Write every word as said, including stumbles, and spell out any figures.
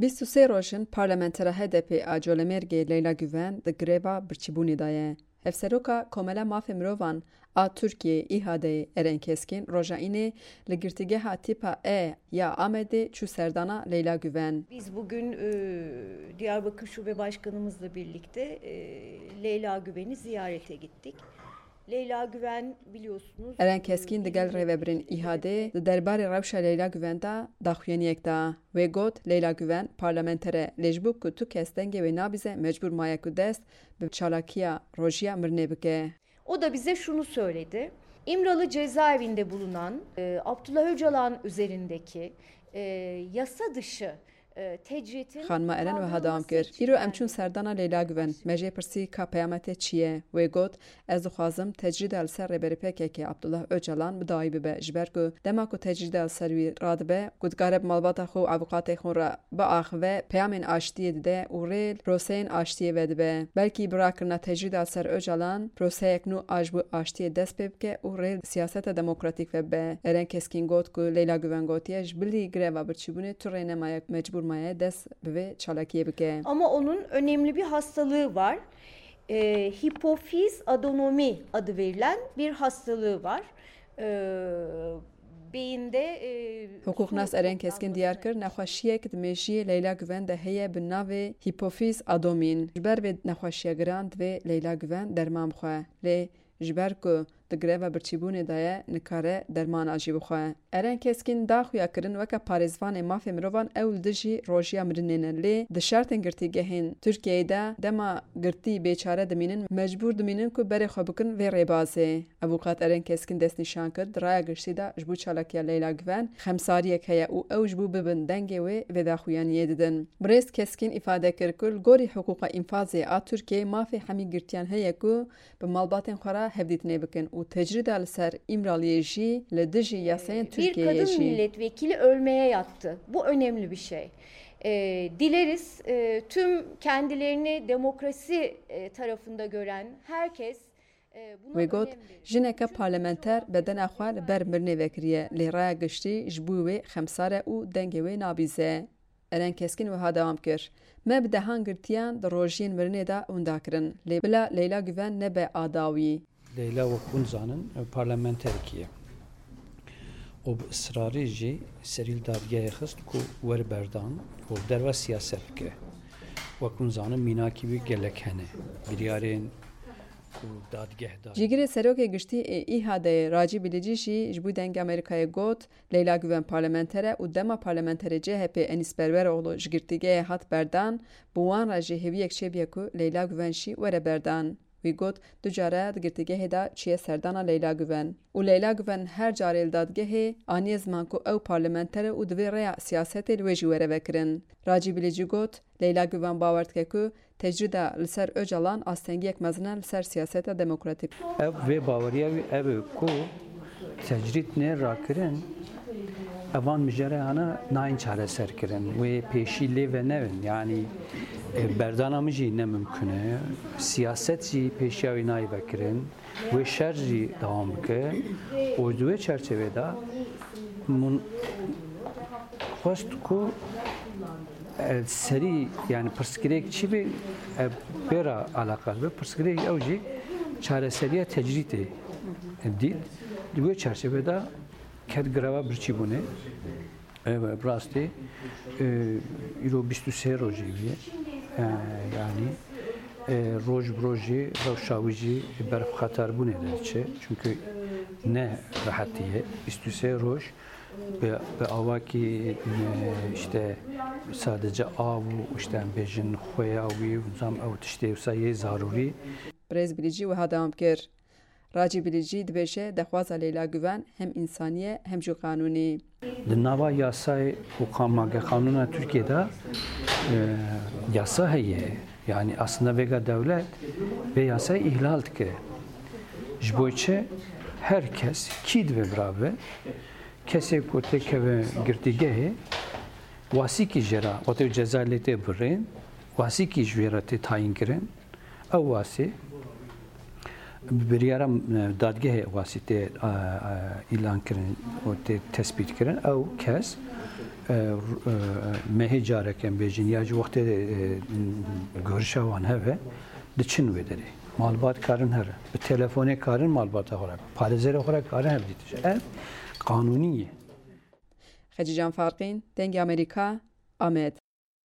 Bîst û sê roj in parlamentera H D P a Colemêrgê Leyla Güven di greva birçîbûnê de ye. Hevseroka Komela Mafê Mirovan a Tirkiyeyê, İHA'deyê, Eren Keskin, roja Înê li girtîgeha tîpa E ya Amedê çû serdana Leyla Güven. Biz bugün, e, Diyarbakır Şube Başkanımızla birlikte, e, Leyla Güven'i ziyarete gittik. Leyla Güven, biliyorsunuz, Eren Keskîn digel rêvebirên İHA'dê di derbarê rewşa Leyla Güven de daxuyaniyek da. Wê got, Leyla Güven parlamenter e, lê ji bo ku tu kes dengê wê nabîze, mecbûr maye ku dest bi çalakiya rojiya mirinê bike. O da bize şunu söyledi. İmralı cezaevinde bulunan, e, Abdullah Öcalan üzerindeki, e, yasa dışı, e, tecritin Xanima Eren wiha dewam kir, Îro em çûn serdana Leyla Güven. Me jê pirsî ka peyama te çi ye? Wê got, Ez dixwazim tecrîda li ser Rêberê P K K Abdullah Öcalan bi dawî bibe, ji ber ku dema ku tecrîda li ser wî radibe, ku dikare bi malbata xwe û avûkatê xwe re biaxive, peyamên aştiyê dide û rê li proseyên aştiyê vedibe. Belkî bi rakirina tecrîda li ser Ocalan, proseyek nû a ji bo aştiyê dest pê bike û rê li siyaseta demokratîk vedibe. Eren Keskîn got ku Leyla Güven gotiye, ji bilî greva birçîbûnê tu rê nemaye, mecbûr maye dest bi vê çalakiyê bike. Ama onun önemli bir hastalığı var. E, hipofiz adonomi adı verilen bir hastalığı var. E, beyinde, e, Hiqûqnas Eren Keskin diyar kir, nexweşiyek di mêjiyê Leyla Güven de heye bi navê hipofiz adomin. Ji ber vê nexweşiya giran divê Leyla Güven derman bixwe. Lê ji ber ku di greva birçîbûnê de ye, nikare dermana jî bixwe. Eren Keskin da xuya kirin weke parêzvanê mafê mirovan ew li dijî rojiya mirinê ne, lê di şertên girtîgehên Tirkiyeyê de dema girtî bêçare dimînin, mecbûr dimînin ku berê xwe bikin vê rêbazê. Avûkat Eren Keskin destnîşan kir, di raya giştî de ji bo çalakiya Leyla Güven xemsariyek heye û ew ji bo bibin dengê wê vê daxuyaniyê didin. Birêz Keskin îfade kir ku li gorî hiqûqa înfazê a Tirkiyeyê mafê hemî girtiyan heye ku bi malbatên xwe re hevdîtinê bikin û tecrîda li ser Îmraliyê jî li dijî yasayên Tirkiyeyê jî. Bir kadın milletvekili ölmeye yattı. Bu önemli bir şey. E, dileriz, e, tüm kendilerini demokrasi, e, tarafında gören herkes, e, buna önem verir. Wê got, jineke parlamenter bedena xwe li ber mirinê vekiriye, lê raya giştî ji bo wê xemsar e û dengê wê nabîze. Eren Keskin wiha dewam kir, Me bi dehan girtiyan di rojiyên mirinê de winda kirin, lê bila Leyla Güven nebe a dawî. Leyla, wek hûn zanin, parlamenterekî ye. Û bi israrî jî serî li dadgehê xist ku were berdan û li derve siyaset bike. Wek hûn zanin, mînakî wî gelek hene. Biryarên ku dadgeh da. Cîgirê Serokê Giştî ê İHA'deyê Racî Bilîcî jî ji bo Dengê Amerîkayê got, Leyla Güven parlamenter e û dema parlamenterê C H P Enîs Berberoğlu ji girtîgehê hat berdan, bi wan re jî hêviyek çêbûye ku Leyla Güven jî were berdan. Wî got, du care di girtîgehê de çûye serdana Leyla Güven. Û Leyla Güven her carê li dadgehê aniye ziman ku ew parlamenter e û divê rêya siyasetê li wê jî were vekirin. Racî Bilîcî got, Leyla Güven bawer dike ku tecrîda li ser Ocalan astengiyek mezin e li ser siyaseta demokratîk. Ev, vê baweriya wî ev e ku tecrîd nê rakirin, evan mijarê hana nayên çareserkirin. Wê pêşî lê venevin. Yanî, e, berdana min jî ne mimkun e. Siyaset jî pêşiya wî nayê vekirin. Wê şer jî dewam bike. Û di wê çerçevê de min xwest ku, e, serî, yani pirsgirêk çi be, e, pê re eleqedar be. Pirsgirêk ew jî çareseriya tecrîdê dît. Di wê çerçevê de ket greva birçîbûnê. Ev, bi rastî, e, îro bîst û sê rojî bûye. E, yanî, e, roj bi rojî rewşa wî jî berf xetarbûnê de diçe. Çünkü ne rehetî ye. Bîst û sê roj bi, bi awakî, e, işte sadece av û işte em bêjin xweya wî û zam ew tiştê wisa yê zarûrî. Birêz Bilîcî wiha dewam kir. Racî Bilîcî dibêje, dexwaza Leyla Güven hem însanî ye hem jî qanûnî. Di nava yasayê û qanûna Tirkiyê de, e, yasa heye. Yani aslında vêga dewlet vê yasayê îhlal dike. Ji bo çi? Her kes kî divê birabe, kesê ku têkeve girtîgehê, wasîkî jê re, wate ceza lê tê birîn, wasîkî ji wê re tê tayîn kirin. Ew wasî Bi biryara, e, dadgehê wastî tê, e, e, îlan kirin û tê tespît kirin, ew kes, e, r-, e, mehê careke em bêjin ya jî wextê, e, gorişa wan hebe, diçin wê derê. Malbat karin here. Bi telefonê karin malbata xwe re, parêzerê xwe re karin hevdîtin. Ev qanûnî ye. Xecîcan Farqîn, Dengê Amerîka, Amed.